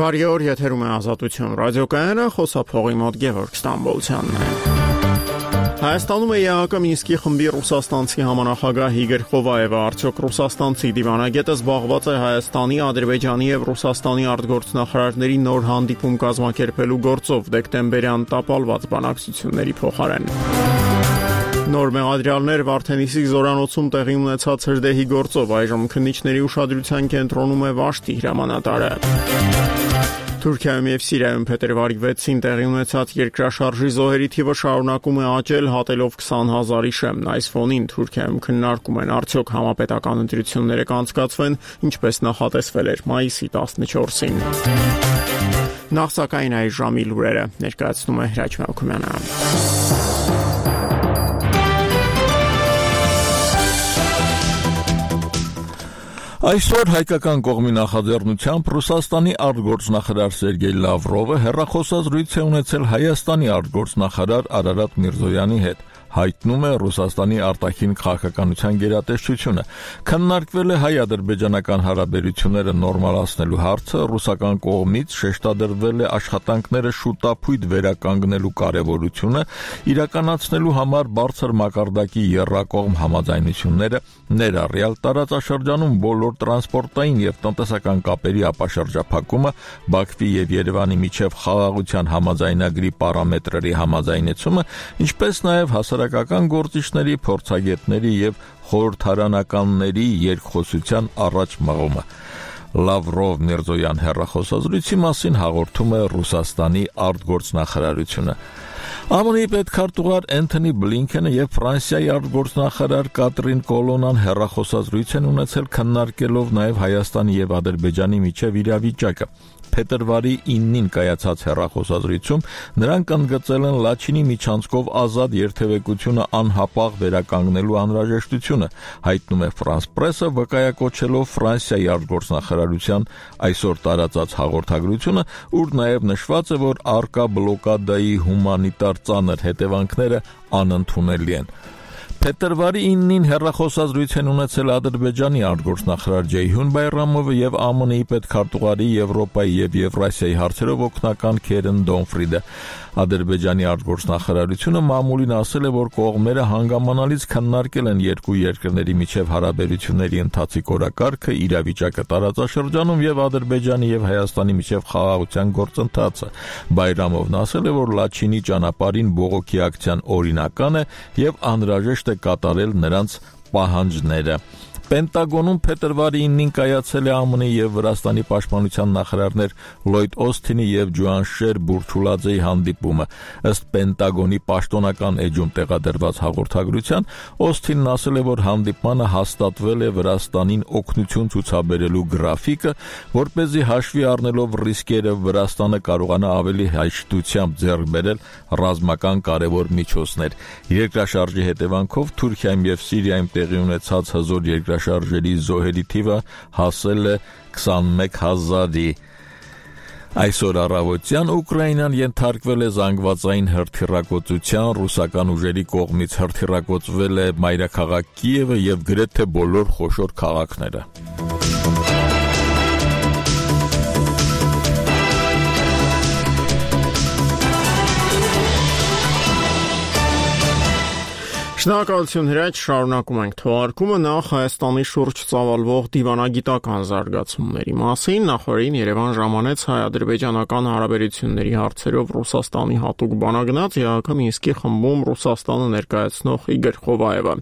Բարի օր, եթերում է Ազատություն ռադիոկայանը, խոսափողի մոտ Գևորգ Ստամբոլցյանն է։ Հայաստանում է ԵԱՀԿ Մինսկի խմբի ռուսաստանցի համանախագահ Իգոր Խովայևը, արդյոք ռուսաստանցի դիվանագետը զբաղված է Հայաստանի, Ադրբեջանի եւ Ռուսաստանի արտգործնախարարների նոր հանդիպում կազմակերպելու գործով դեկտեմբերյան տապալված բանակցությունների փոխարեն։ Նոր մեղադրյալներ Վարդենիսի զորանոցում տեղի ունեցած հրդեհի գործով այժմ քննիչների ուշադրության կենտրոնում է Վաշտի հրամանատարը։ Թուրքիայում եւ Սիրիայում փետրվարի 6-ին տեղի ունեցած երկրաշարժի զոհերի թիվը շարունակում է աճել, հատելով 20,000-ի շեմն։ Այս ֆոնին Թուրքիայում քննարկում են արդյոք համապետական ընտրությունները կանցկացվեն, ինչպես նախատեսվել էր մայիսի 14-ին։ Նախ սակայն այս ժամի լուրերը ներկայացնում է Հրաչ Մելքումյանը։ Այսօր հայկական կողմի նախաձեռնությամբ Ռուսաստանի արտգործնախարար Սերգեյ Լավրովը հեռախոսազրույց է ունեցել Հայաստանի արտգործնախարար Արարատ Միրզոյանի հետ։ Հայտնում է Ռուսաստանի արտաքին քաղաքականության գերատեսչությունը։ Քննարկվել է հայ-ադրբեջանական հարաբերությունները նորմալացնելու հարցը, ռուսական կողմից շեշտադրվել է աշխատանքները շուտապույտ վերականգնելու կարևորությունը, իրականացնելու համար բարձր մակարդակի եռակողմ համաձայնությունները, ներառյալ տարածաշրջանում բոլոր տրանսպորտային եւ տնտեսական կապերի ապաշրջափակումը, Բաքվի եւ Երևանի միջև խաղաղության համաձայնագրի պարամետրերի համաձայնեցումը, ինչպես նաեւ հասարակական գործիչների, փորձագետների եւ խորհրդարանականների երկխոսության առաջ մղումը։ Լավրով Միրզոյան հեռախոսազրույցի մասին հաղորդում է Ռուսաստանի արտգործնախարարությունը։ ԱՄՆ-ի պետքարտուղար Էնթոնի Բլինքենը եւ Ֆրանսիայի արտգործնախարար Կատրին Կոլոնան հեռախոսազրույց են ունեցել քննարկելով նաեւ Հայաստանի եւ Ադրբեջանի միջև իրավիճակը։ Փետրվարի 9-ին կայացած հեռախոսազրույցում նրանք ընդգծել են Լաչինի միջանցքով ազատ երթևեկությունը անհապաղ վերականգնելու անհրաժեշտությունը, հայտնում է France Press-ը, վկայակոչելով Ֆրանսիայի արտգործնախարարության այսօր տարածած հաղորդագրությունը, ուր նաև նշված է, որ առկա բլոկադայի հումանիտար ծանր հետևանքները անընդունելի են։ Փետրվարի 9-ին հեռախոսազրույց են ունեցել Ադրբեջանի արտգործնախարար Ջեյհուն Բայրամովը եւ ԱՄՆ-ի պետքարտուղարի Եվրոպայի եւ Եվրասիայի հարցերով օգնական Քերեն Դոնֆրիդը։ Ադրբեջանի արտգործնախարարությունը մամուլին ասել է, որ կողմերը հանգամանալից քննարկել են երկու երկրների միջև հարաբերությունների ընթացիկ օրակարգը, իրավիճակը տարածաշրջանում եւ Ադրբեջանի եւ Հայաստանի միջև խաղաղության գործընթացը։ Բայրամովն ասել է, որ Լաչինի ճանապարհին բողոքի ակցիան օրինական է եւ անհրաժեշտ է կատարել նրանց պահանջները։ Պենտագոնում փետրվարի 9-ին կայացել է ԱՄՆ-ի եւ Վրաստանի պաշտպանության նախարարներ Լոյդ Օսթինի եւ Ջոան Բուրչուլաձեի հանդիպումը։ Ըստ Պենտագոնի պաշտոնական էջում տեղադրված հաղորդագրության, Օսթինն ասել է, որ հանդիպմանը հաստատվել է Վրաստանին օգնություն ցուցաբերելու գրաֆիկը, որպեսզի հաշվի առնելով ռիսկերը Վրաստանը կարողանա ավելի հաշտությամբ ձեռք բերել ռազմական կարևոր միջոցներ։ Երկրաշարժի հետևանքով Թուրքիայում եւ Սիրիայում տեղի ունեցած հզոր երկրաշարժերի զոհերի թիվը հասել է 21,000-ի։ Այսօր առավոտյան Ուկրաինան ենթարկվել է զանգվածային հրթիռակոծության, ռուսական ուժերի կողմից հրթիռակոծվել է մայրաքաղաք Կիևը եւ գրեթե բոլոր խոշոր քաղաքները։ Շնորհակալություն Հրաչ, շարունակում ենք թողարկումը նախ Հայաստանի շուրջ ծավալվող դիվանագիտական զարգացումների մասին։ Նախորդին Երևան ժամանեց հայ-ադրբեջանական հարաբերությունների հարցերով Ռուսաստանի հատուկ բանագնաց ԵԱՀԿ Մինսկի խմբում Ռուսաստանը ներկայացնող Իգոր Խովայևը։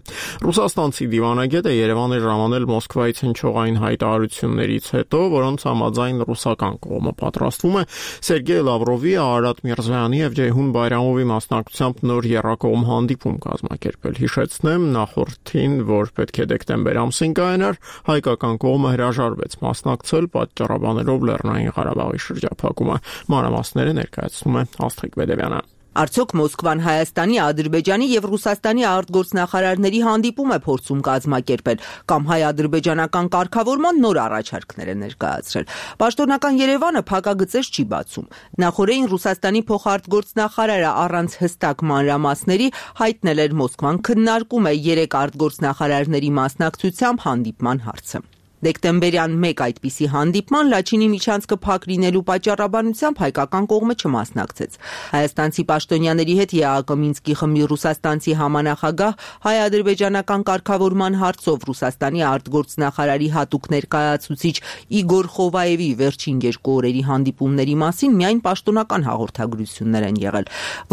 Ռուսաստանցի դիվանագետը Երևան է ժամանել Մոսկվայից հնչողային հայտարարություններից հետո, որոնց համաձայն ռուսական կողմը պատրաստվում է Սերգեյ Լավրովի, Արարատ Միրզոյանի եւ Ջեյհուն Բայրամովի մասնակցությամբ նոր եռակողմ հանդիպում կազմակերպել։ Հիշեցնեմ նախորդին, որ պետք է դեկտեմբեր ամսին կայանար, հայկական կողմը հրաժարվեց մասնակցել, պատճառաբանելով Լեռնային Ղարաբաղի շրջափակումը։ Մանրամասները ներկայացնում է Աստղիկ Բեդևյանը։ Արդյոք Մոսկվան Հայաստանի, Ադրբեջանի եւ Ռուսաստանի արտգործնախարարների հանդիպում է փորձում կազմակերպել կամ հայ-ադրբեջանական կարգավորման նոր առաջարկներ է ներկայացրել։ Պաշտոնական Երևանը փակագծեր չի բացում։ Նախորդին Ռուսաստանի փոխարտգործնախարարը առանց հստակ մանրամասների հայտնել էր Մոսկվան քննարկում է 3 արտգործնախարարների մասնակցությամբ հանդիպման հարցը։ Դեկտեմբերյան մեկ այդպիսի հանդիպման Լաչինի միջանցքը փակ լինելու պատճառաբանությամբ հայկական կողմը չմասնակցեց։ Հայաստանցի պաշտոնյաների հետ ԵԱՀԿ Մինսկի խմբի ռուսաստանցի համանախագահ հայ-ադրբեջանական կարգավորման հարցով Ռուսաստանի արտգործնախարարի հատուկ ներկայացուցիչ Իգոր Խովայևի վերջին 2 օրերի հանդիպումների մասին միայն պաշտոնական հաղորդագրություններ են եղել,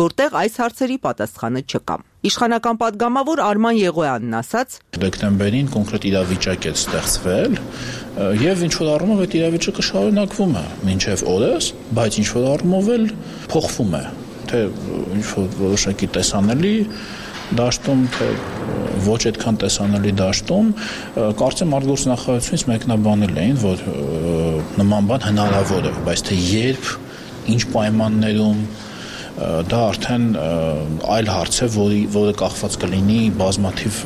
որտեղ այս հարցերի պատասխանը չկա։ Իշխանական պատգամավոր Արման Եղոյանն ասաց. Դեկտեմբերին կոնկրետ իրավիճակ է ստեղծվել եւ ինչ որ առումով այդ իրավիճակը շարունակվում է մինչեւ օրս, բայց ինչ որ առումով էլ փոխվում է, թե ինչ որ որոշակի տեսանելի դաշտում, թե ոչ այդքան տեսանելի դաշտում, կարծեմ արտգործնախարարությունից մեկնաբանել էին, որ նման բան հնարավոր է, բայց թե երբ, ինչ պայմաններում դա արդեն այլ հարց է, որը կախված կլինի բազմաթիվ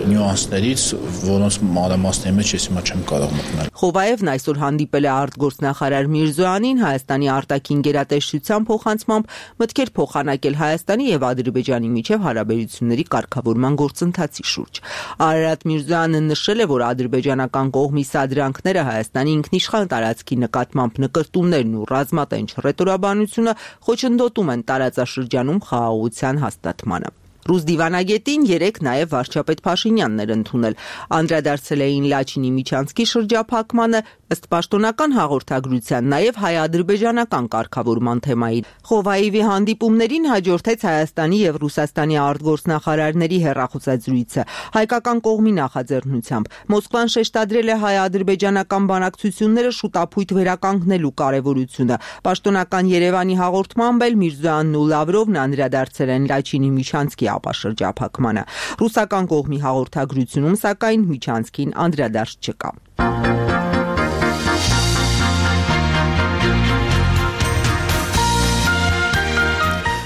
նյուանսներից, որոնց մանրամասների մեջ ես հիմա չեմ կարող մտնել։ Խովայևն այսօր հանդիպել է արտգործնախարար Միրզոյանին Հայաստանի արտաքին գերատեսչության փոխանցմամբ մտքեր փոխանակել Հայաստանի եւ Ադրբեջանի միջև հարաբերությունների կարգավորման գործընթացի շուրջ։ Արարատ Միրզոյանը նշել է, որ ադրբեջանական կողմի սադրանքները Հայաստանի ինքնիշխան տարածքի նկատմամբ նկրտումներն ու ռազմատենչ հռետորաբանությունը խոչընդոտում են տարածաշրջանում խաղաղության հաստատմանը։ Ռուս դիվանագետին երեկ նաև վարչապետ Փաշինյանն էր ընդունել։ Անդրադարձել էին Լաչինի միջանցքի շրջափակմանը, ըստ պաշտոնական հաղորդագրության նաև հայ-ադրբեջանական կարգավորման թեմային։ Խովայևի հանդիպումներին հաջորդեց Հայաստանի եւ Ռուսաստանի արտգործնախարարների հեռախոսազրույցը հայկական կողմի նախաձեռնությամբ։ Մոսկվան շեշտադրել է հայ-ադրբեջանական բանակցությունները շուտապույտ վերականգնելու կարևորությունը։ Պաշտոնական Երևանի հաղորդմամբ էլ Միրզոյանն ու Լավրովն անդրադարձել են Լաչինի միջանցքի ապաշրջափակմանը։ Ռուսական կողմի հաղորդագրությունում սակայն միջանցքին անդրադարձ չկա։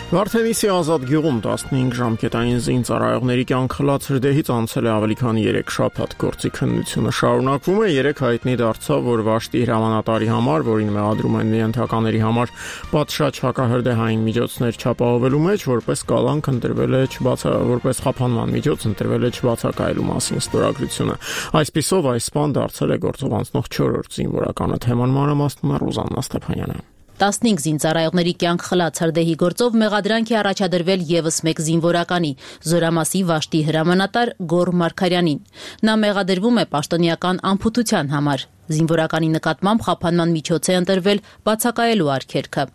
Վարդենիսի ազատ գյուղում 15 ժամկետային զինծառայողների կյանք խլած հրդեհից անցել է ավելի քան 3 շաբաթ, գործի քննությունը շարունակվում է։ Երեկ հայտնի դարձավ, որ Վաշտի հրամանատարի համար, որին մեղադրում են միընթականների համար պատշաճ հակահրդեհային միջոցներ չապահովելու մեջ, որպես կալանք ընտրվել է որպես խափանման միջոց ընտրվել է չբացակայելու մասին ստորագրությունը։ Այսպիսով այս բան դարձել է գործով անցնող 4-րդ զինվորականը։ Թեման մանրամասնում է Ռուզաննա Ստեփանյանը։ 15 զինծառայողների կյանք խլած հրդեհի գործով մեղադրանք է առաջադրվել եւս մեկ զինվորականի՝ Զորամասի Վաշտի հրամանատար Գոռ Մարգարյանին։ Նա մեղադրվում է պաշտոնեական անփութության համար։ Զինվորականի նկատմամբ խափանման միջոց է ընտրվել բացակայելու արգելքը։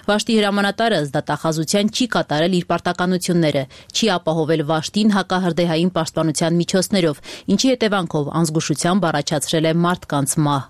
Վաշտի հրամանատարը զդատախազության չի կատարել իր պարտականությունները, չի ապահովել Վաշտին հակահրդեհային պաշտպանության միջոցներով, ինչի հետևանքով անզգուշությամբ առաջացրել է մարդկանց մահ։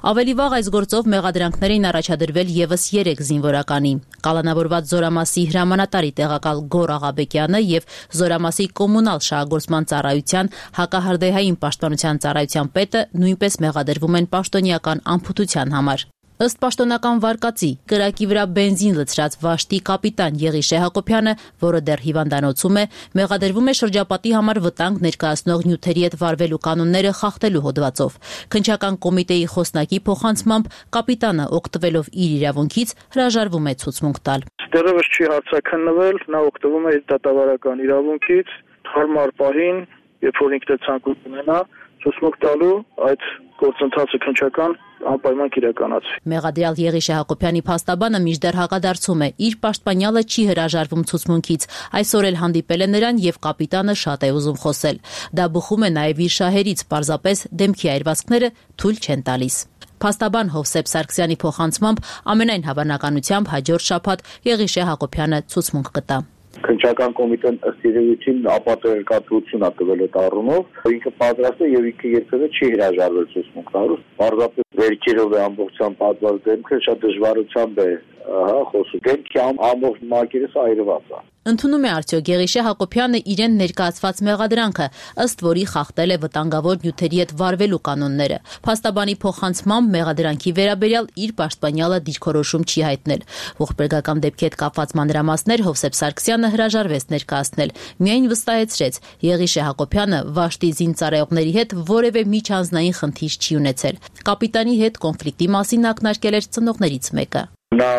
Ավելի վաղ այս գործով մեղադրանքներ էին առաջադրվել եւս 3 զինվորականի՝ կալանավորված Զորամասի հրամանատարի տեղակալ Գոռ Աղաբեկյանը եւ Զորամասի կոմունալ շահագործման ծառայության հակահրդեհային պաշտպանության ծառայության պետը նույնպես մեղադրվում են պաշտոնեական անփութության համար։ Ըստ պաշտոնական վարկածի, կրակի վրա բենզին լցրած Վաշտի կապիտան Եղիշե Հակոբյանը, որը դեռ հիվանդանոցում է, մեղադրվում է շրջապատի համար վտանգ ներկայացնող նյութերի հետ վարվելու կանոնները խախտելու հոդվածով։ Քննչական կոմիտեի խոսնակի փոխանցմամբ կապիտանը, օգտվելով իր իրավունքից, հրաժարվում է ցուցմունք տալ։ Դեռևս չի հարցաքննվել, նա օգտվում է իր դատավարական իրավունքից, հարմար պահին, երբ որ ինքն է ցանկություն ունենա, ցուցմունք տալու այդ գործընթացը քննչական անպայման կիրականացվի։ Մեղադրյալ Եղիշե Հակոբյանի փաստաբանը մինչդեռ հակադարձում է, իր պաշտպանյալը չի հրաժարվում ցուցմունքից։ Այսօր էլ հանդիպել է նրան եւ կապիտանը շատ է ուզում խոսել։ Դա բխում է նաեւ իր շահերից, պարզապես դեմքի այրվածքները թույլ չեն տալիս։ Փաստաբան Հովսեփ Սարգսյանի փոխանցմամբ ամենայն հավանականությամբ հաջորդ շաբաթ Եղիշե Հակոբյանը ցուցմունք կտա։ Քննչական կոմիտեն ըստ երևույթին ապատերկատվություն է տվել այդ առումով, ինքը պատրաստ է եւ ինքը երբևէ չի հրաժարվել ցուցմունք տալու։ Պարզապես վերքերով է ամբողջությամբ պատված դեմքը, շատ դժվարությամբ է խոսում։ Դեմքի ամբողջ մակերես այրված է։ Ընդունում է արդյոք Եղիշե Հակոբյանը իրեն ներկայացված մեղադրանքը, ըստ որի խախտել է վտանգավոր նյութերի հետ վարվելու կանոնները։ Փաստաբանի փոխանցմամբ մեղադրանքի վերաբերյալ իր պաշտպանյալը դիրքորոշում չի հայտնել։ Ողբերգական դեպքի հետ կապված մանրամասներ Հովսեփ Սարգսյանը հրաժարվեց ներկայացնել։ Միայն վստահեցրեց, Եղիշե Հակոբյանը Վաշտի զինծառայողների հետ որևէ միջանձնային խնդիր չի ունեցել։ Կապիտանի հետ կոնֆլիկտի մասին ակնարկել էր ծնողներից մեկը։ Նա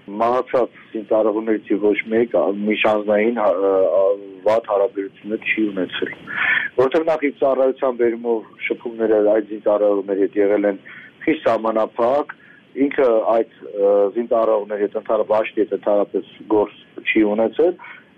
մահացած զինծառայողներից ոչ մեկ միջանձնային վատ հարաբերություններ չի ունեցել։ որտեղ նախ ծառայության բերումով շփումները այդ զինծառայողների հետ եղել են խիստ սահմանափակ, ինքը այդ զինծառայողների հետ ընդհանրապես ընդհանրապես գործ չի ունեցել,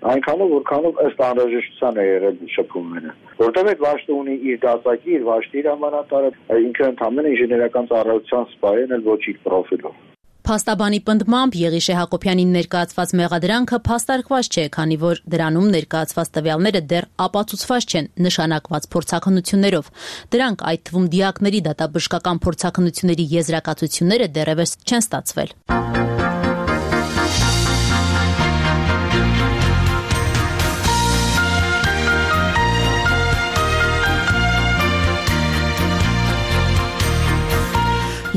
այնքանով որքանով ըստ անհրաժեշտության է եղել շփումները, որտեղ այդ վաշտը ունի իր դասակի, իր վաշտի հրամանատարը, ինքը ընդհանրապես ինժեներական ծառայության սպա է, էլ ոչ իր պրոֆիլով։ Փաստաբանի պնդմամբ Եղիշե Հակոբյանին ներկայացված մեղադրանքը փաստարկված չէ, քանի որ դրանում ներկայացված տվյալները դեռ ապացուցված չեն նշանակված փորձաքննություններով։ Դրանք, այդ թվում դիակների դատաբժշկական փորձաքննությունների եզրակացությունները դեռևս չեն ստացվել։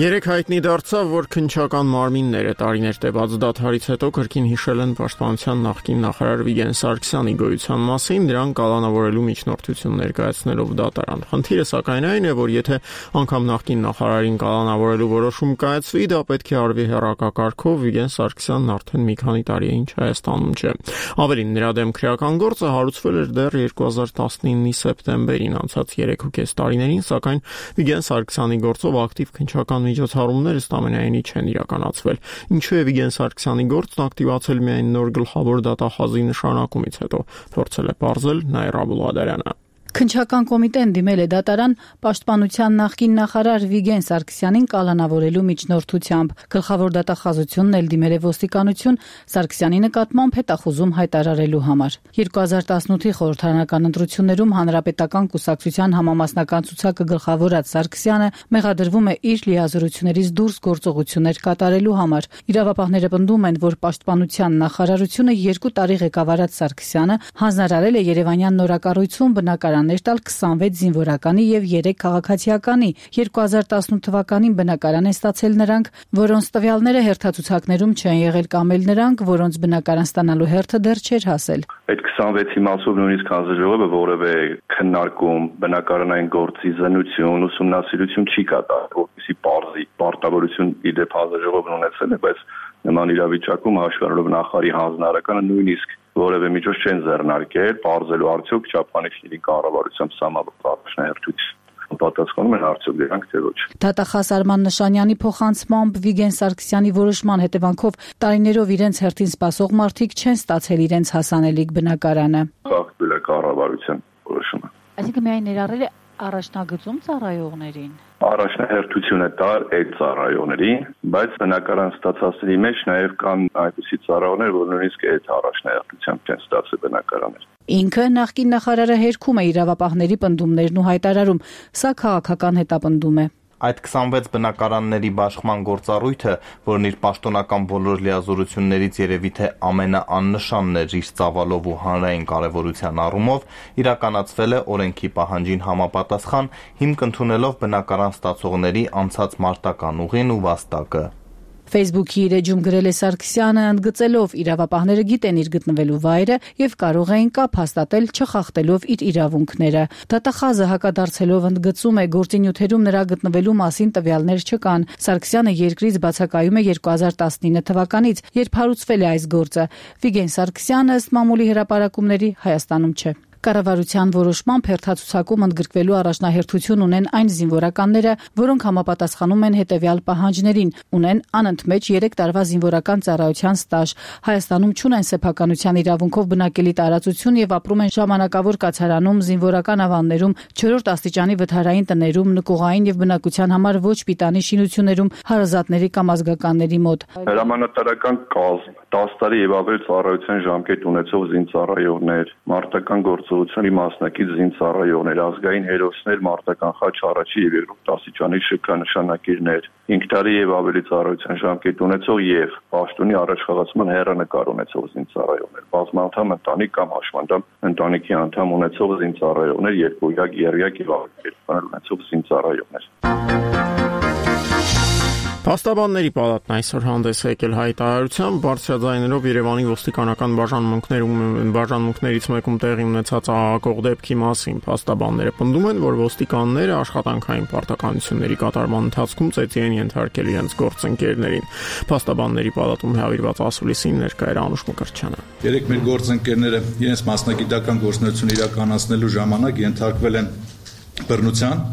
Երեք հայտնի դարձավ, որ քննչական մարմինները տարիներ տևած դադարից հետո կրկին հիշել են պաշտպանության նախկին նախարար Վիգեն Սարգսյանի գոյության մասին, դրան կալանավորելու միջնորդություն ներկայացնելով դատարան։ Խնդիրը սակայն այն է, որ եթե անգամ նախկին նախարարին կալանավորելու որոշում կայացվի, դա պետք է արվի հեռակակարգով, Վիգեն Սարգսյանն արդեն մի քանի տարի է ինչ Հայաստանում չէ։ Ավելին, նրա դեմ քրեական գործը հարուցվել էր դեռ 2019-ի սեպտեմբերին, անցած 3.5 տարիներին, սակայն Վիգեն Սարգսյանի գործով ակտիվ քննչական միջոցառումներ ըստ ամենայնի չեն իրականացվել։ Ինչու է Վիգեն Սարգսյանի գործն ակտիվացել միայն նոր գլխավոր դատախազի նշանակումից հետո, փորձել է պարզել Նաիրա Բուլղադարյանը։ Քննչական կոմիտեն դիմել է դատարան պաշտպանության նախկին նախարար Վիգեն Սարգսյանին կալանավորելու միջնորդությամբ։ Գլխավոր դատախազությունն էլ դիմել է ոստիկանություն Սարգսյանի նկատմամբ հետախուզում հայտարարելու համար։ 2018-ի խորհրդարանական ընտրություններում Հանրապետական կուսակցության համամասնական ցուցակը գլխավորած Սարգսյանը մեղադրվում է իր լիազորություններից դուրս գործողություններ կատարելու համար։ Իրավապահները պնդում են, որ պաշտպանության նախարարությունը 2 տարի ղեկավարած Սարգսյանը հանձնարարել է Երևանյան նորակառույցում բնակարան տալ 26 զինվորականի եւ 3 քաղաքացիականի։ 2018 թվականին բնակարան են ստացել նրանք, որոնց տվյալները հերթացուցակներում չեն եղել, կամ էլ նրանք, որոնց բնակարան ստանալու հերթը դեռ չէր հասել։ Այդ 26-ի մասով նույնիսկ հանձնաժողովը որևէ քննարկում, բնակարանային գործի զննություն, ուսումնասիրություն չի կատարել, որպեսզի պարզի պարտավորություն իդեպ հանձնաժողովն ունեցել է, բայց նման իրավիճակում հաշվառելով նախարարի հանձնարարականը նույնիսկ որևէ միջոց չեն ձեռնարկել, պարզելու արդյոք չափանիշների կառավարությամբ սահմանված առաջնահերթություն պատասխանում են արդյոք դրանք թե ոչ։ Դատախազ Արման Նշանյանի փոխանցմամբ Վիգեն Սարգսյանի որոշման հետևանքով տարիներով իրենց հերթին սպասող մարդիկ չեն ստացել իրենց հասանելիք բնակարանը։ Խախտվել է կառավարության որոշումը։ Այսինքն միայն ներառել է առաջնագծում ծառայողներին։ Առաջնահերթություն է տար այդ ծառայողներին, բայց բնակարան ստացածների մեջ նաև կան այնպիսի ծառայողներ, որ նույնիսկ այդ առաջնահերթությամբ չեն ստացել բնակարաններ։ Ինքը նախկին նախարարը հերքում է իրավապահների պնդումներն ու հայտարարում, սա քաղաքական հետապնդում է։ Այդ 26 բնակարանների բաշխման գործառույթը, որն իր պաշտոնական բոլոր լիազորություններից երևի թե ամենաաննշանն էր իր ծավալով ու հանրային կարևորության առումով, իրականացվել է օրենքի պահանջին համապատասխան, հիմք ընդունելով բնակարան ստացողների անցած մարտական ուղին ու վաստակը։ Facebook-ի իր էջում գրել է Սարգսյանը, ընդգծելով իրավապահները գիտեն իր գտնվելու վայրը եւ կարող էին կապ հաստատել չխախտելով իր իրավունքները։ Դատախազը հակադարձելով ընդգծում է, գործի նյութերում նրա գտնվելու մասին տվյալներ չկան։ Սարգսյանը երկրից բացակայում է 2019 թվականից, երբ հարուցվել է այս գործը։ Վիգեն Սարգսյանը ըստ մամուլի հրապարակումների Հայաստանում չէ։ Կառավարության որոշմամբ հերթացուցակում ընդգրկվելու առաջնահերթություն ունեն այն զինվորականները, որոնք համապատասխանում են հետևյալ պահանջներին, ունեն անընդմեջ 3 տարվա զինվորական ծառայության ստաժ, Հայաստանում չունեն սեփականության իրավունքով բնակելի տարածություն եւ ապրում են ժամանակավոր կացարանում, զինվորական ավաններում, 4-րդ աստիճանի վթարային տներում, նկուղային եւ բնակության համար ոչ պիտանի շինություններում, հարազատների կամ ազգականների մոտ։ Հրամանատարական կազմ, 10 տարի եւ ավելի ծառայության ժամկետ ունեցող զինծառայողներ, մարտական գործողությունների մասնակից զինծառայողներ, ազգային հերոսներ, մարտական խաչ առաջի եւ երկրորդ աստիճանի շքանշանակիրներ, 5 տարի եւ ավելի ծառայության ժամկետ ունեցող եւ պաշտոնի առաջխաղացման հեռանկար ունեցող զինծառայողներ, բազմանդամ ընտանիք կամ հաշմանդամ ընտանիքի անդամ ունեցող զինծառայողներ, երկույակ, երյակ եւ ավելի ունեցող զինծառայողներ։ Փաստաբանների պալատն այսօր հանդես եկել հայտարարությամբ բարձրաձայնելով Երևանի ոստիկանական բաժանմունքներից մեկում տեղի ունեցած ահագող դեպքի մասին։ Փաստաբանները պնդում են, որ ոստիկանները աշխատանքային պարտականությունների կատարման ընթացքում ծեծի են ենթարկել իրենց գործընկերներին։ Փաստաբանների պալատում հավիրված ասուլիսին ներկա էր Անուշ Մկրտչյանը։ Երեք մեր գործընկերները իրենց մասնագիտական գործունեություն իրականացնելու ժամանակ ենթարկվել են բռնության։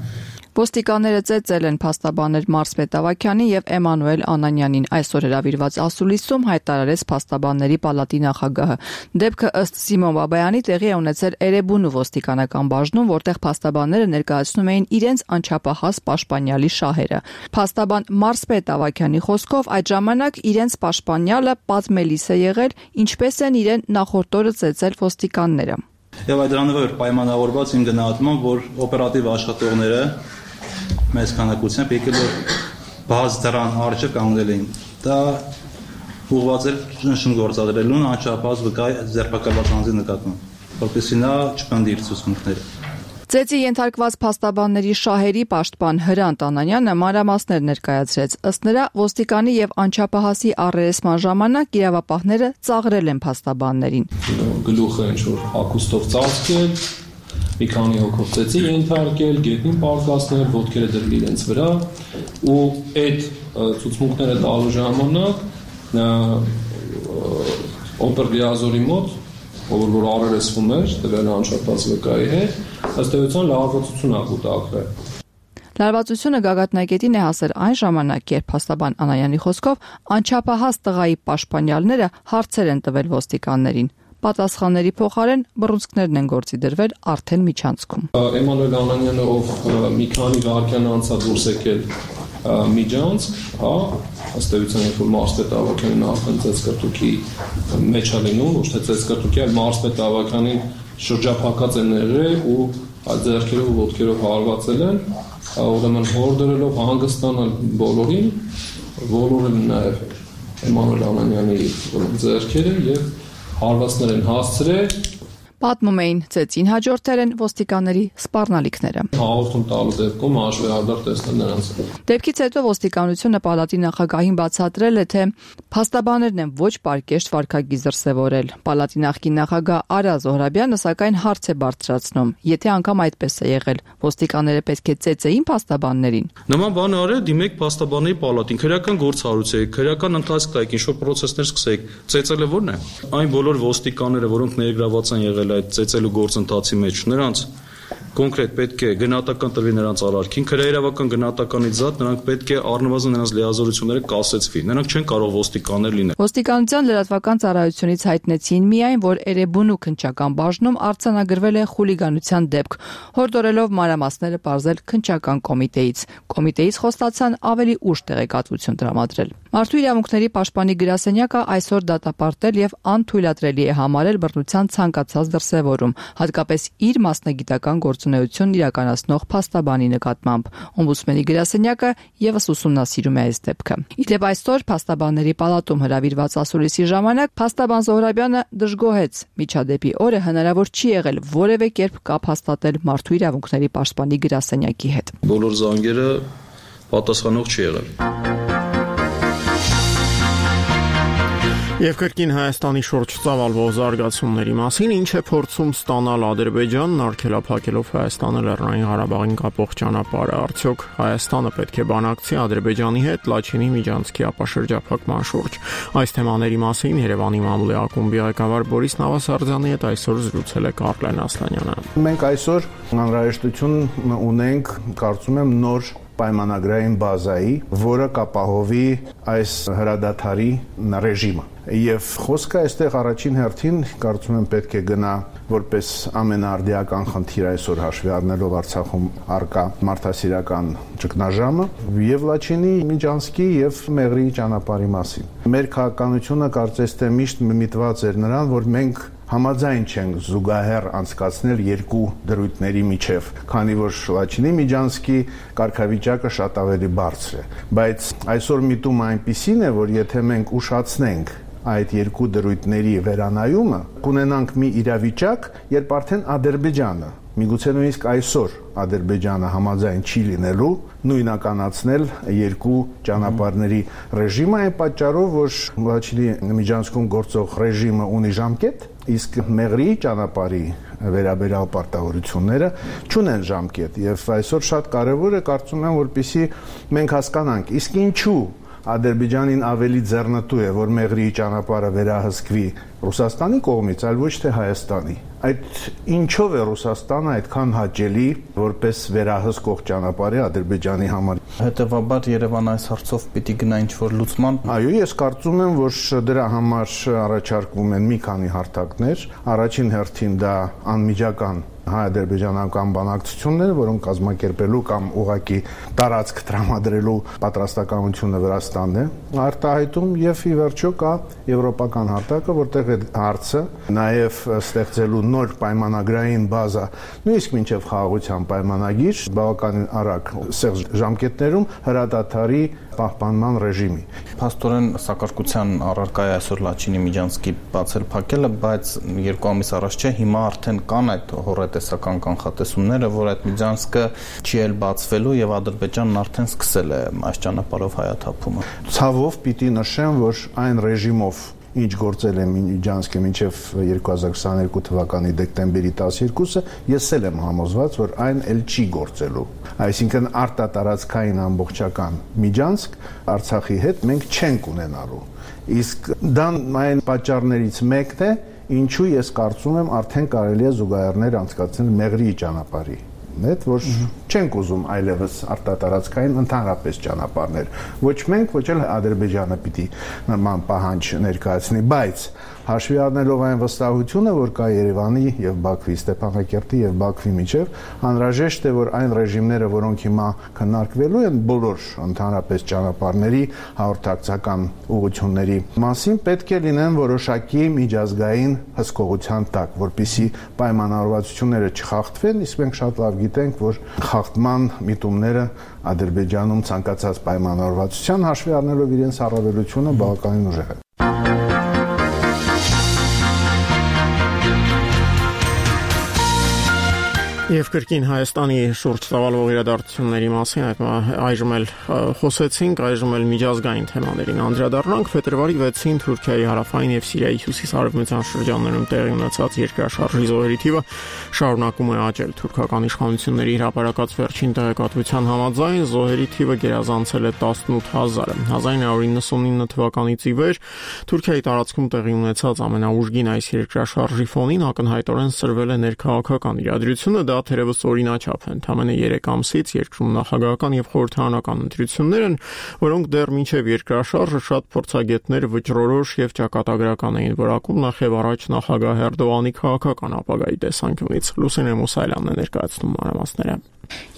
Ոստիկանները ծեծել են փաստաբաներ Մարսպետ Ավագյանին եւ Էմանուել Անանյանին։ Այսօր հրավիրված ասուլիսում հայտարարեց փաստաբանների պալատի նախագահը։ Դեպքը ըստ Սիմոն Բաբայանի տեղի է ունեցել Էրեբունու ոստիկանական բաժնում, որտեղ փաստաբանները ներկայացնում էին իրենց անչափահաս պաշտպանյալի շահերը։ Փաստաբան Մարսպետ Ավագյանի խոսքով այդ ժամանակ իրենց պաշտպանյալը պատմելիս է եղել, ինչպես են իրեն նախորդ օրը ծեծել ոստիկանները։ Եվ այդ դրանով էր պայմանավորված իմ գնահատմամբ, որ օպերատիվ աշխատողները մեծ քանակությամբ եկել որ բաց դրան արժեք կանգնել էին։ Դա ուղղված էր ճնշում գործադրելուն անչափահաս վկայ ձերբակալված անձի նկատմամբ, որպեսզի նա չպնդի իր ցուցմունքները։ Ծեծի ենթարկված փաստաբանների շահերի պաշտպան Հրանտ Անանյանը մանրամասներ ներկայացրեց։ Ըստ նրա, ոստիկանի եւ անչափահասի առերեսման ժամանակ իրավապահները ծաղրել են փաստաբաններին։ Գլուխը ինչ-որ հագուստով ծածկել, մի քանի հոգով ծեծի ենթարկել, գետնին պարկասնել, ոտքերը դրել իրենց վրա ու այդ ցուցմունքները տալու ժամանակ օպերլիազորի մոտ որ առերեսվում էր, տվել անչափահաս վկայի հետ, ըստ էության լարվածություն ա կուտակվել։ Լարվածությունը գագաթնակետին է հասել այն ժամանակ, երբ փաստաբան Անանյանի խոսքով անչափահաս տղայի պաշտպանյալները հարցեր են տվել ոստիկաններին։ Պատասխանների փոխարեն բռունցքներն են գործի դրվել արդեն միջանցքում։ Էմանուել Անանյանը, ով մի քանի վայրկյան անց է դուրս եկել միջանցք, հա, ըստ էության որ Մարսպետ Ավագյանին արդեն ծեծկրտուքի մեջ է լինում, ոչ թե ծեծկրտուքի, այլ Մարսպետ Ավագյանին շրջափակած են եղել ու այդ ձեռքերով ու ոտքերով հարվածել են, ուրեմն հորդորելով հանգստանալ բոլորին, ոլորել նաև Էմանուել Անանյանի ձեռքերը եւ հարվածներ են հասցրել։ Պատմում էին ծեծին հաջորդել են ոստիկանների սպառնալիքները։ Հաղորդում տալու դեպքում հաշվեհարդար տեսնել նրանց։ Դեպքից հետո ոստիկանությունը պալատի նախագահին բացատրել է, թե փաստաբաններն են ոչ պարկեշտ վարքագիծ դրսևորել։ Պալատի նախկին նախագահ Արա Զոհրաբյանը սակայն հարց է բարձրացնում. եթե անգամ այդպես է եղել, ոստիկանները պետք է ծեծեին փաստաբաններին։ Նման բան արել, դիմեք փաստաբանների պալատին, քրեական գործառույթ, քրեական ընթացք տայք, ինչ-որ պրոցեսներ սկսեք։ Ծեծելը ո՞րն է։ Այն բոլոր ոստիկանները, որոնք ներգրաված են եղել այդ ծեծելու գործընթացի մեջ, նրանց կոնկրետ պետք է գնահատական տրվի նրանց արարքին, քրեական գնահատականից զատ նրանք պետք է առնվազն նրանց լիազորությունները կասեցվի։ Նրանք չեն կարող ոստիկաններ լինել։ Ոստիկանության լրատվական ծառայությունից հայտնեցին միայն, որ Էրեբունու քննչական բաժնում արձանագրվել է խուլիգանության դեպք, հորդորելով մանրամասները պարզել քննչական կոմիտեից։ Կոմիտեից խոստացան ավելի ուշ տեղեկատվություն տրամադրել։ Մարդու իրավունքների պաշտպանի գրասենյակը այսօր դատապարտել եւ անթույլատրելի է համարել բռնության ցանկացած դրսևորում, հատկապես իր մասնագիտական գործունեությունն իրականացնող փաստաբանի նկատմամբ։ Օմբուդսմենի գրասենյակը եւս ուսումնասիրում է այս դեպքը։ Իդեպ այսօր փաստաբանների պալատում հրավիրված ասուլիսի ժամանակ փաստաբան Զոհրաբյանը դժգոհեց միջադեպի օրը հնարավոր չի եղել որևէ կերպ կապ հաստատել մարդու իրավունքների պաշտպանի գրասենյակի հետ։ Բոլոր զանգերը պատասխանող չի եղել։ Եվ կրկին Հայաստանի շուրջ ծավալվող զարգացումների մասին ինչ է փորձում ստանալ Ադրբեջանն արգելափակելով Հայաստանը Լեռնային Ղարաբաղին կապող ճանապարհը, արդյոք Հայաստանը պետք է բանակցի Ադրբեջանի հետ Լաչինի միջանցքի ապաշրջափակման շուրջ։ Այս թեմաների մասին Երևանի մամուլի ակումբի ղեկավար Բորիս Նավասարդյանի հետ այսօր զրուցել է Կարլեն Ասլանյանը։ Մենք այսօր անհրաժեշտություն ունենք, կարծում եմ, նոր պայմանագրային բազայի, որը կապահովի այս հրադադարի ռեժիմը։ Եվ խոսքը այստեղ առաջին հերթին կարծում եմ պետք է գնա որպես ամենաարդիական խնդիր այսօր հաշվի առնելով Արցախում առկա մարդասիրական ճգնաժամը եւ Լաչինի միջանցքի եւ Մեղրի ճանապարհի մասին։ Մեր քաղաքականությունը կարծես թե միշտ միտված էր նրան, որ մենք համաձայն չենք զուգահեռ անցկացնել երկու դրույթների միջև, քանի որ Լաչինի միջանցքի կարգավիճակը շատ ավելի բարձր է։ Բայց այսօր միտումը այնպիսին է, որ եթե մենք ուշացնենք այդ երկու դրույթների վերանայումը, կունենանք մի իրավիճակ, երբ արդեն Ադրբեջանը, միգուցե նույնիսկ այսօր Ադրբեջանը համաձայն չի լինելու նույնականացնել երկու ճանապարհների ռեժիմը, այն պատճառով, որ Լաչինի միջանցքում գործող ռեժիմը ունի ժամկետ, իսկ Մեղրիի ճանապարհի վերաբերյալ պարտավորությունները չունեն ժամկետ, եւ այսօր շատ կարեւոր է, կարծում եմ, որպեսզի մենք հասկանանք, իսկ ինչու Ադրբեջանին ավելի ձեռնտու է, որ Մեղրիի ճանապարհը վերահսկվի Ռուսաստանի կողմից, այլ ոչ թե Հայաստանի։ Այդ ինչով է Ռուսաստանը այդքան հաճելի որպես վերահսկող ճանապարհի Ադրբեջանի համար։ Հետևաբար Երևանը այս հարցով պիտի գնա ինչ-որ լուծման։ Այո, ես կարծում եմ, որ դրա համար առաջարկվում են մի քանի հարթակներ։ Առաջին հերթին դա անմիջական հայ-ադրբեջանական բանակցությունները, որոնք կազմակերպելու կամ ուղղակի տարածք տրամադրելու պատրաստակամությունը Վրաստանն է արտահայտում, եւ ի վերջո կա եվրոպական հարթակը, որտեղ այդ հարցը նաեւ ստեղծելու նոր պայմանագրային բազա, նույնիսկ մինչեւ խաղաղության պայմանագիր, բավականին արագ ժամկետներում հրադադարի պահպանման ռեժիմի։ Փաստորեն սակարկության առարկա է այսօր Լաչինի միջանցքի բացել փակելը, բայց 2 ամիս առաջ չէ, հիմա արդեն կան այդ հորատեսական կանխատեսումները, որ այդ միջանցքը չի էլ բացվելու եւ Ադրբեջանն արդեն սկսել է այս ճանապարհով հայաթափումը։ Ցավով պիտի նշեմ, որ այն ռեժիմով ինչ գործել է միջանցքը մինչև 2022 թվականի դեկտեմբերի 12-ը, ես էլ եմ համոզված, որ այն էլ չի գործելու։ Այսինքն արտատարածքային ամբողջական միջանցք Արցախի հետ մենք չենք ունենալու։ Իսկ դա այն պատճառներից մեկն է, ինչու ես կարծում եմ արդեն կարելի է զուգահեռներ անցկացնել Մեղրիի ճանապարհի հետ, որ չենք ուզում այլևս արտատարածքային ընդհանրապես ճանապարհներ։ Ոչ մենք, ոչ էլ Ադրբեջանը պիտի նման պահանջ ներկայացնի, բայց հաշվի առնելով այն վստահությունը, որ կա Երևանի եւ Բաքվի, Ստեփանակերտի եւ Բաքվի միջեւ, անհրաժեշտ է, որ այն ռեժիմները, որոնք հիմա քննարկվելու են բոլոր ընդհանրապես ճանապարհների հաղորդակցական ուղղությունների մասին, պետք է լինեն որոշակի միջազգային հսկողության տակ, որպեսզի պայմանավորվածությունները չխախտվեն, իսկ մենք շատ լավ գիտենք, որ խախտման միտումները Ադրբեջանում ցանկացած պայմանավորվածության հաշվի առնելով իրենց առավելությունը բավականին ուժեղ է։ Եվ կրկին Հայաստանի շուրջ ծավալվող իրադարձությունների մասին այժմ էլ խոսեցինք, այժմ էլ միջազգային թեմաներին անդրադառնանք։ Փետրվարի 6-ին Թուրքիայի հարավային եւ Սիրիայի հյուսիս-արևմտյան շրջաններում տեղի ունեցած երկրաշարժի զոհերի թիվը շարունակում է աճել։ Թուրքական իշխանությունների հրապարակած վերջին տեղեկատվության համաձայն զոհերի թիվը գերազանցել է 18000-ը։ 1999 թվականից ի վեր Թուրքիայի տարածքում տեղի ունեցած ամենաուժգին այս երկրաշարժի ֆոնին ակնհայտորեն սրվել է ներքաղաքական իրադրությունը, դա թերևս օրինաչափ է։ Ընդամենը 3 ամսից երկրում նախագահական եւ խորհրդարանական ընտրություններ են, որոնք դեռ մինչեւ երկրաշարժը շատ փորձագետներ վճռորոշ եւ ճակատագրական էին որակում նախ եւ առաջ նախագահ Էրդողանի քաղաքական ապագայի տեսանկյունից։ Լուսինե Մուսայելյանն է ներկայացնում մանրամասները։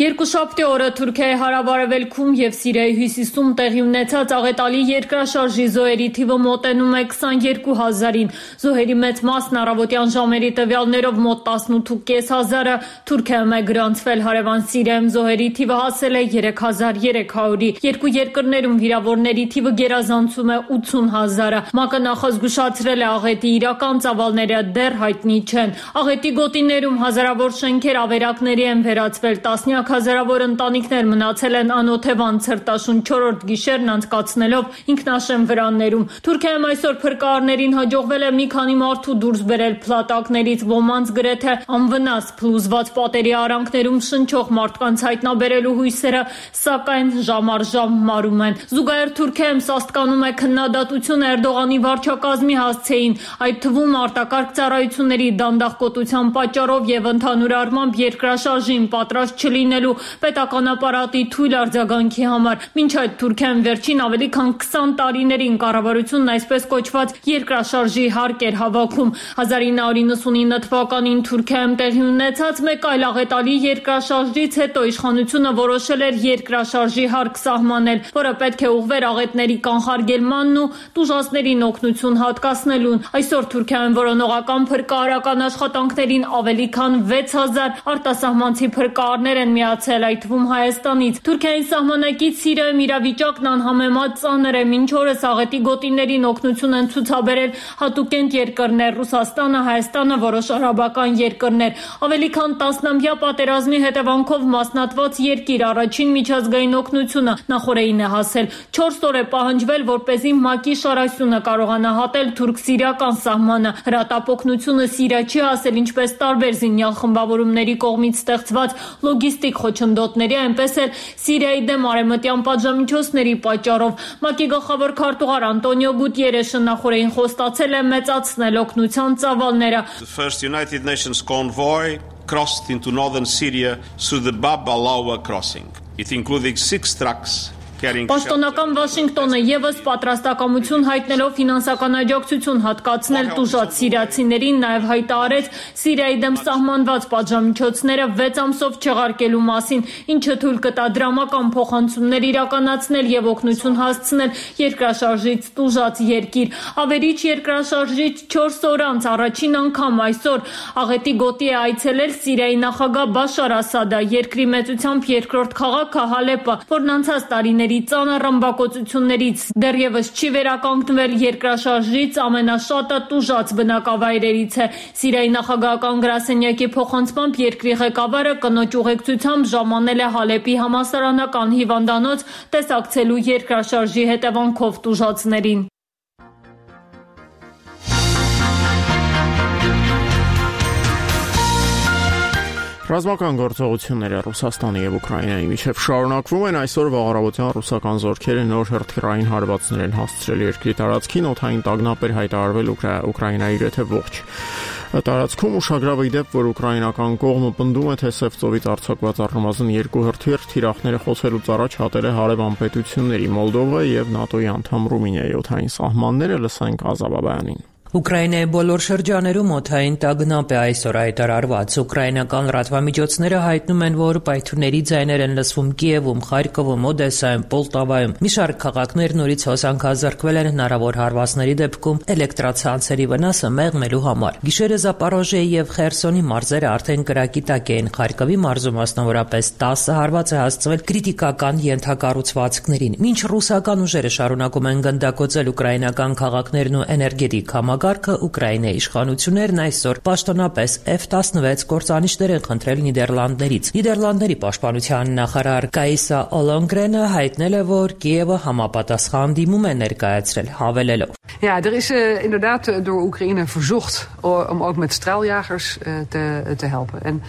Երկուշաբթի օրը Թուրքիայի հարավարևելքում եւ Սիրիայի հյուսիսում տեղի ունեցած աղետալի երկրաշարժի զոհերի թիվը մոտենում է 22000-ին։ Զոհերի մեծ մասն առավոտյան ժամերի տվյալներով մոտ 18500-ը Թուրքիայում է գրանցվել, հարևան Սիրիայում զոհերի թիվը հասել է 3300-ի։ Երկու երկրներում վիրավորների թիվը գերազանցում է 80000-ը։ ՄԱԿ-ը նախազգուշացրել է աղետի իրական ծավալները դեռ հայտնի չեն։ Աղետի գոտիներում հազարավոր շենքեր ավերակների են վերածվել, տասնյակ հազարավոր ընտանիքներ մնացել են անօթևան ցրտաշուն 4-րդ գիշերն անցկացնելով ինքնաշեն վրաններում։ Թուրքիայում այսօր փրկարարներին հաջողվել է մի քանի մարդու դուրս բերել փլատակներից, ոմանց գրեթե անվնաս փլուզված պատերի արանքներում շնչող մարդկանց հայտնաբերելու հույսերը, սակայն ժամ առ ժամ մարում են։ Զուգահեռ Թուրքիայում սաստկանում է քննադատություն Էրդողանի վարչակազմի հասցեին, այդ թվում արտակարգ ծառայությունների դանդաղկոտության պատճառով եւ ընդհանուր առմամբ երկրաշարժին պատրաստ չլինելու պետական ապարատի թույլ արձագանքի համար։ Մինչ այդ Թուրքիան վերջին ավելի քան 20 տարիներին կառավարությունն այսպես կոչված երկրաշարժի հարկ էր հավաքում։ 1999 թվականին Թուրքիայում տեղի ունեցած մեկ այլ աղետալի երկրաշարժից հետո իշխանությունը որոշել էր երկրաշարժի հարկ սահմանել, որը պետք է ուղղվեր աղետների կանխարգելմանն ու տուժածներին օգնություն հատկացնելուն։ Այսօր Թուրքիայում որոնողական փրկարարական աշխատանքներին ավելի քան 6000 արտասահմանցի փրկարարներ են միացել, այդ թվում Հայաստանից։ Թուրքիայի սահմանակից Սիրիայում իրավիճակն անհամեմատ ծանր է։ Մինչ օրս աղետի գոտիներին օգնություն են ցուցաբերել հատուկենտ երկրներ՝ Ռուսաստանը, Հայաստանը, որոշ արաբական երկրներ։ Ավելի քան 10-ամյա պատերազմի հետևանքով մասնատված երկիր առաջին միջազգային օգնությունը նախորդին է հասել։ 4 օր է պահանջվել, որպեսզի ՄԱԿ-ի շարասյունը կարողանա հատել թուրք-սիրիական սահմանը։ Հրատապօգնությունը Սիրիա չի հասել ինչպես տարբեր զինյալ խմբավորումների կողմից ստեղծված լոգիստիկ խոչընդոտների, այնպես էլ Սիրիայի դեմ արևմտյան պատժամիջոցների պատճառով։ ՄԱԿ-ի գլխավոր քարտուղար Անտոնիո Գուտիերեշը նախորդին խոստացել է մեծացնել օգնության ծավալները։ The first United Nations convoy crossed into northern Syria through the Bab al-Awa crossing. It included 6 trucks. Պաշտոնական Վաշինգտոնը եւս պատրաստակամություն հայտնելով ֆինանսական աջակցություն հատկացնել տուժած սիրիացիներին, նաեւ հայտարարեց Սիրիայի դեմ սահմանված պատժամիջոցները 6 ամսով չեղարկելու մասին, ինչը թույլ կտա դրամական փոխանցումներ իրականացնել եւ օգնություն հասցնել երկրաշարժից տուժած երկիր։ Ավերիչ երկրաշարժից 4 օր անց առաջին անգամ այսօր աղետի գոտի է այցելել Սիրիայի նախագահ Բաշար Ասադը, երկրի մեծությամբ երկրորդ քաղաքը Հալեպը, որն անցած տարիների ծանր ռմբակոծություններից դեռևս չի վերականգնվել, երկրաշարժից ամենաշատը տուժած բնակավայրերից է։ Սիրիայի նախագահական գրասենյակի փոխանցմամբ երկրի ղեկավարը կնոջ ուղեկցությամբ ժամանել է Հալեպի համալսարանական հիվանդանոց տեսակցելու երկրաշարժի հետևանքով տուժածներին։ Ռազմական գործողությունները Ռուսաստանի եւ Ուկրաինայի միջև շարունակվում են։ Այսօր վաղարավոտյան ռուսական զորքերը նոր հրթիռային հարվածներ են հասցրել երկրի տարածքին, օդային տագնապ էր հայտարարվել Ուկրաինայի գրեթե ողջ տարածքում։ Ուշագրավ է դեպք, որ ուկրաինական կողմը պնդում է, թե Սև ծովից արձակված առնվազն 2 հրթիռ թիրախները խոցելուց առաջ հատել է հարևան պետությունների Մոլդովա եւ ՆԱՏՕ-ի անդամ Ռումինիայի օդային սահմանները։ Լսենք Ազաբաբյանին։ Ուկրաինայի բոլոր շրջաներում օդային տագնապ է այսօր հայտարարված։ Ուկրաինական լրատվամիջոցները հայտնում են, որ պայթյունների ձայներ են լսվում Կիևում, Խարկովում, Օդեսայում, Պոլտավայում։ Մի շարք քաղաքներ նորից հոսանքազրկվել են հնարավոր հարվածների դեպքում էլեկտրացանցերի վնասը մեղմելու համար։ Գիշերը Զապորոժիեի եւ Խերսոնի մարզերը արդեն կրակի տակ էին։ Խարկովի մարզում մասնավորապես 10 հարված է հասցվել քրիտիկական ենթակառուցվածքներին։ Մինչ ռուսական ուժերը շարունակում են գնդակոծել ուկրաինական քաղաքներն ու էներգետիկ համակարգը, Ուկրաինայի իշխանություններն այսօր պաշտոնապես F-16 կործանիչներ են խնդրել Նիդերլանդներից։ Նիդերլանդների պաշտպանության նախարար Կայսա Օլոնգրենը հայտնել է, որ Կիևը համապատասխան դիմում է ներկայացրել, հավելելով. Ja, er is inderdaad door Oekraïne verzocht om ook met straaljagers te helpen.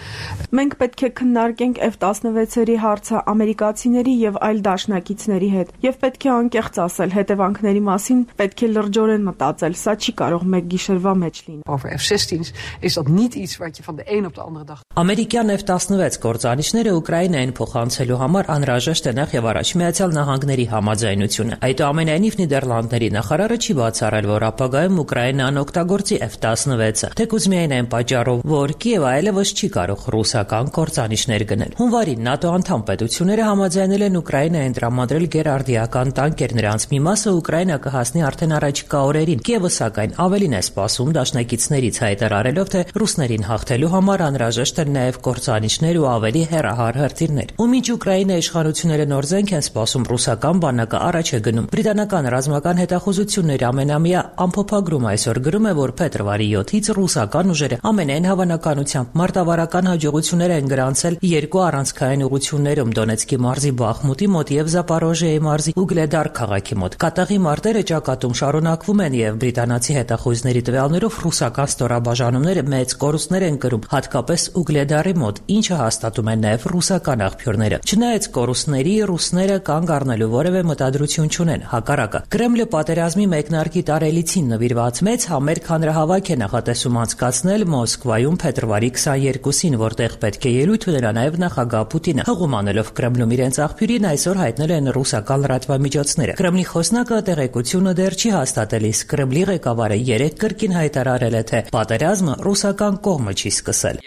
Մենք պետք է քննարկենք F-16-երի հարցը ամերիկացիների եւ այլ դաշնակիցների հետ եւ պետք է անկեղծ ասել հետևանքների մասին, պետք է լրջորեն մտածել, սա չի կարող մեկ գիշերվա մեջ լինել։ Over F-16's is dat niet iets wat je van de een op de andere dag. Ամերիկյան F-16 կործանիչները Ուկրաինային փոխանցելու համար անհրաժեշտ է նախ եւ առաջ Միացյալ Նահանգների համաձայնությունը։ Այդուամենայնիվ Նիդերլանդների նախարարը չի բացառել, որ ապագայում Ուկրաինան օգտագործի F-16-ը, թեկուզ միայն այն պատճառով, որ Կիևը այլևս չի կարող ռուսական կործանիչներ գնել։ Հունվարին ՆԱՏՕ անդամ պետությունները համաձայնել են Ուկրաինային տրամադրել գերարդիական տանկեր, նրանց մի մասը Ուկրաինա կհասնի արդեն առաջիկա օրերին։ Կիևը սակայն ավելին է սպասում դաշնակիցներից, հայտարարելով, թե ռուսներին հաղթելու համար անհրաժեշտ են նաև կործանիչներ ու ավելի հեռահար հրթիռներ։ Ու մինչ Ուկրաինայի իշխանությունները նոր զենք են սպասում, ռուսական բանակը առաջ է գնում։ Բրիտանական ռազմական հետախուզությունների ամենամյա ամփոփագրում այսօր գրում է, որ փետրվարի 7-ից ռուսական ուժերը ամենայն հավանականությամբ մարտավարական հաջողություններ են գրանցել երկու առանցքային ուղղություններում՝ Դոնեցկի մարզի Բախմուտի մոտ եւ Զապորոժիեի մարզի Ուգլեդար քաղաքի մոտ։ Կատաղի մարտերը ճակատում շարունակվում են եւ բրիտանացի հետախուզների տվյալներով ռուսական ստորաբաժանումները մեծ կորուստներ են կրում, հատկապես Ուգլեդարի մոտ, ինչը հաստատում են նաեւ ռուսական աղբյուրները։ Չնայած կորուստների, ռուսները կանգ առնելու որևէ մտադրություն չունեն։ Հակառակը, Կրեմլը պատերազմի մեկնարկի տարելիցին նվիրված մեծ համերգ հանրահավաք է նախատեսում անցկացնել Մոսկվայում փետրվարի 22-ին, որտեղ պետք է ելույթ ունենա նաեւ նախագահ Պուտինը։ Հղում անելով Կրեմլում իրենց աղբյուրին այսօր հայտնել են ռուսական լրատվամիջոցները։ Կրեմլի խոսնակը տեղեկությունը դեռ չի հաստատել, իսկ Կրեմլի ղեկավարը երեկ կրկին հայտարարել է, թե պատերազմը ռուսական կողմը չի սկսել։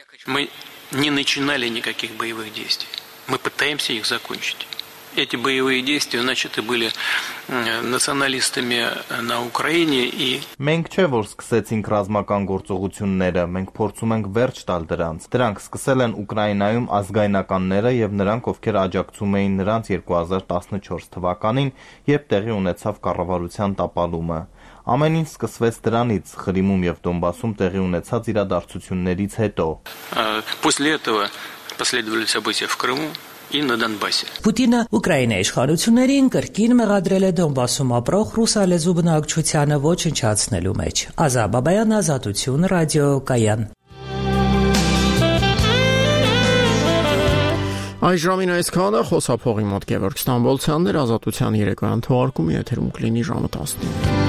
не начинали никаких боевых действий. Мы пытаемся их закончить. Эти боевые действия начаты были националистами на Украине и Մենք չէ որ սկսեցինք ռազմական գործողությունները, մենք փորձում ենք վերջ տալ դրանց։ Դրանք սկսել են Ուկրաինայում ազգայնականները եւ նրանք, ովքեր աջակցում էին նրանց 2014 թվականին, երբ տեղի ունեցավ կառավարության տապալումը։ Ամեն ինչ սկսվեց դրանից, Ղրիմում եւ Դոնբասում տեղի ունեցած իրադարձություններից հետո։ После этого последовали события в Крыму и на Донбассе. Պուտինը Ուկրաինայի իշխանություններին կրկին մեղադրել է Դոնբասում ապրող ռուսալեզու բնակչությանը ոչնչացնելու մեջ։ Ազա Բաբայան, Ազատություն, ռադիոկայան։ Այս ժամին այսքանը խոսափողի մոտ Գևորգ Ստամբոլցյանն էր, Ազատության երեկոյան թողարկումի եթերում կլինի ժամը 10-ին։